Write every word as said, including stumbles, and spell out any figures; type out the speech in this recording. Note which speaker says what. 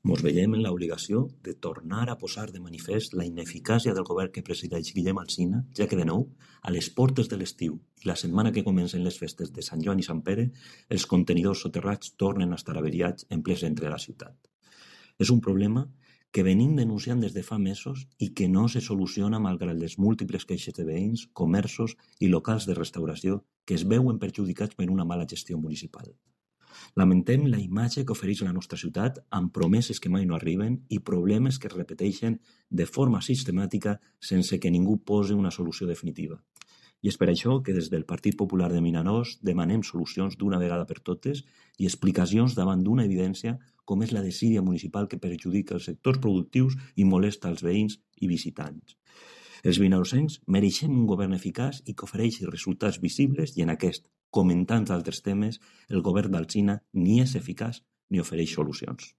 Speaker 1: Mos veiem en l'obligació de tornar a posar de manifest la ineficàcia del govern que presideix Guillem Alsina, ja que de nou, a les portes de l'estiu i la setmana que comencen les festes de Sant Joan i Sant Pere, els contenidors soterrats tornen a estar averiats en ple centre de la ciutat. És un problema que venim denunciant des de fa mesos i que no se soluciona malgrat les múltiples queixes de veïns, comerços i locals de restauració que es veuen perjudicats per una mala gestió municipal. Lamentem la imatge que ofereix la nostra ciutat amb promeses que mai no arriben i problemes que es repeteixen de forma sistemàtica sense que ningú posi una solució definitiva. I és per això que des del Partit Popular de Vinaròs demanem solucions d'una vegada per totes i explicacions davant d'una evidència com és la desídia municipal que perjudica els sectors productius i molesta els veïns i visitants. Els vinarossencs mereixem un govern eficaç i que ofereixi resultats visibles i en aquest, com en tants altres temes, el govern d'Alsina ni és eficaç ni ofereix solucions.